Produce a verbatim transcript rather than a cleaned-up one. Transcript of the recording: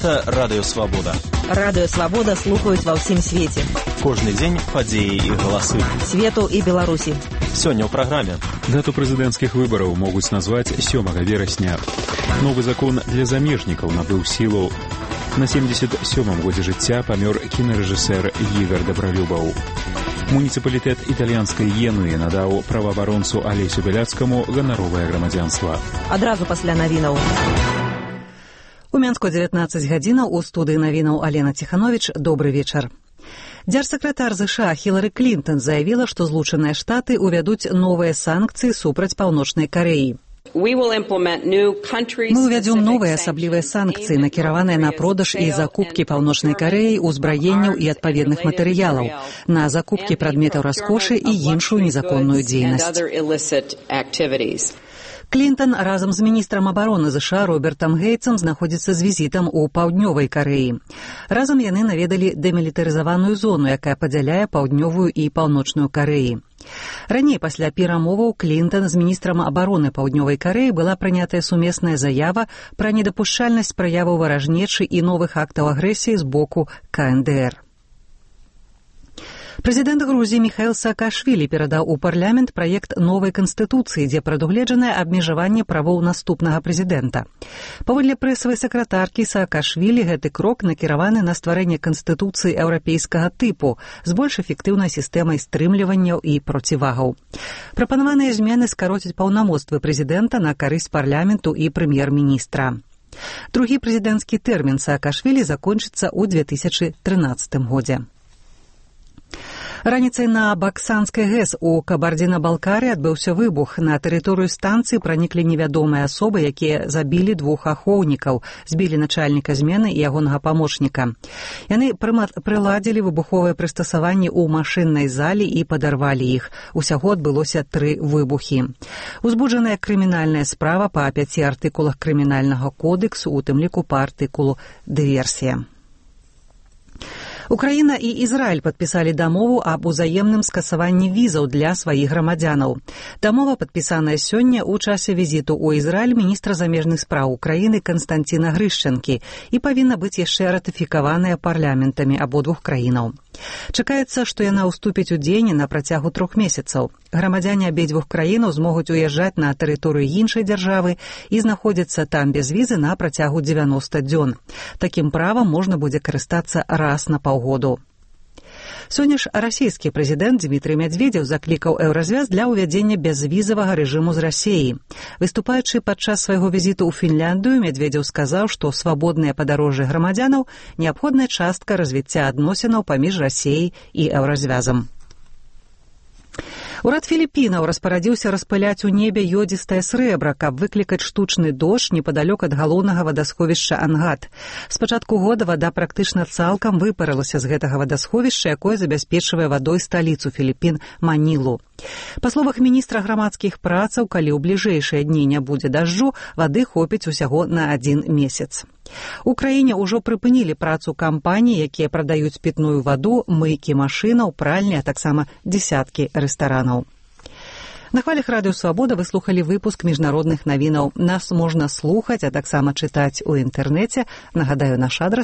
Гэта Радыё Свабода. Радыё Свабода слухаюць ва ўсім свеце. Кожны дзень падзеі і галасы. Свету і Беларусі. Сёння ў праграме. Дату прэзідэнцкіх выбараў могуць назваць сёмага верасня. Новы закон для замежнікаў набыў сілу. На семдзесят сёмым годзе жыцця памёр кінарэжысэр Ігар Дабралюбаў. Муніцыпалітэт італьянскай Генуі надаў праваабаронцу Алесю Бяляцкаму ганаровае грамадзянства. Адразу пасля навінаў. У Мінску дзевятнаццаць гадзінаў, у студыі навінаў Алена Ціхановіч. Добры вечар. Дзяржсакратар ЗША Хілары Клінтон заявіла, што Злучаныя Штаты ўвядуць новыя санкцыі супраць Паўночнай Карэі. Мы ўвядзём новыя асаблівыя санкцыі, накіраваныя на продаж і закупкі Паўночнай Карэі узбраенняў і адпаведных матэрыялаў, на закупкі прадметаў раскошы і іншую незаконную дзейнасць. Клінтон разам з міністрам абароны ЗША Робертам Гейтсам знаходзіцца з візітам у Паўднёвай Карэі. Разам яны наведалі дэмілітарызаваную зону, якая падзяляе Паўднёвую і Паўночную Карэі. Раней пасля перамоваў Клінтон з міністрам абароны Паўднёвай Карэі была прынятая сумесная заява пра недапушчальнасць праяваў варажнечы і новых актаў агрэсіі з боку КНДР. Прэзідэнт Грузіі Міхаіл Саакашвілі перадаў у парламент праект новай канстытуцыі, дзе прадугледжанае абмежаванне правоў наступнага прэзідэнта. Паводле прэсавай сакратаркі Саакашвілі гэты крок накіраваны на стварэнне канстытуцыі еўрапейскага тыпу з больш эфектыўнай сістэмай стрымліванняў і процівагаў. Прапанаваныя змены скароцяць паўнамоцтвы прэзідэнта на карысць парламенту і прэм'ер-міністра. Другі прэзідэнцкі тэрмін Саакашвілі закончыцца ў две тысячы трынаццатым годзе. Раніцай на Баксанскай ГЭС у Кабардзіна-Балкарыі адбыўся выбух. На тэрыторыю станцыі праніклі невядомыя асобы, якія забілі двух ахоўнікаў, збілі начальніка змены і ягонага памочніка. Яны прыладзілі выбуховыя прыстасаванні ў машыннай зале і падарвалі іх. Усяго адбылося тры выбухі. Узбуджаная крымінальная справа па пяці артыкулах крымінальнага кодэксу, у тым ліку па артыкулу «Дыверсія». Украіна і Ізраіль падпісалі дамову аб узаемным скасаванні візаў для сваіх грамадзянаў. Дамова падпісаная сёння ў часе візіту ў Ізраіль міністра замежных спраў Украіны Канстанціна Грышчанкі і павінна быць яшчэ ратыфікаваная парламентамі абодвух краінаў. Чакаецца, што яна ўступіць у дзеянне на працягу трох месяцаў. Грамадзяне абедзвюх краінаў змогуць уязджаць на тэрыторыю іншай дзяржавы і знаходзіцца там без візы на працягу дзевяноста дзён. Такім правам можна будзе карыстацца раз на паўгоду. Сёння ж расійскі прэзідэнт Дмітрый Мядзведзеў заклікаў еўразвяз для ўвядзення бязвізавага рэжыму з Расіяй. Выступаючы падчас свайго візіту ў Фінляндыю, Мядзведзеў сказаў, што свабоднае падарожжа грамадзянаў – неабходная частка развіцця адносінаў паміж Расіяй і еўразвязам. Урад Філіппінаў распарадзіўся распыляць у небе ёдзістае срэбра, каб выклікаць штучны дождж непадалёк ад галоўнага вадасховішча Ангат. З пачатку года вада практычна цалкам выпарылася з гэтага вадасховішча, якое забяспечвае вадой сталіцу Філіппін Манілу. Па словах міністра грамадскіх працаў, калі ў бліжэйшыя дні не будзе дажджу, вады хопіць усяго на адзін месяц. У краіне ўжо прыпынілі працу кампаній, якія прадаюць пітную ваду, мыйкі машынаў, пральні, а таксама дзесяткі рэстаранаў. На хвалях Радыё Свабода вы слухалі выпуск міжнародных навінаў. Нас можна слухаць, а таксама чытаць у інтэрнэце. Нагадаю, наш адрас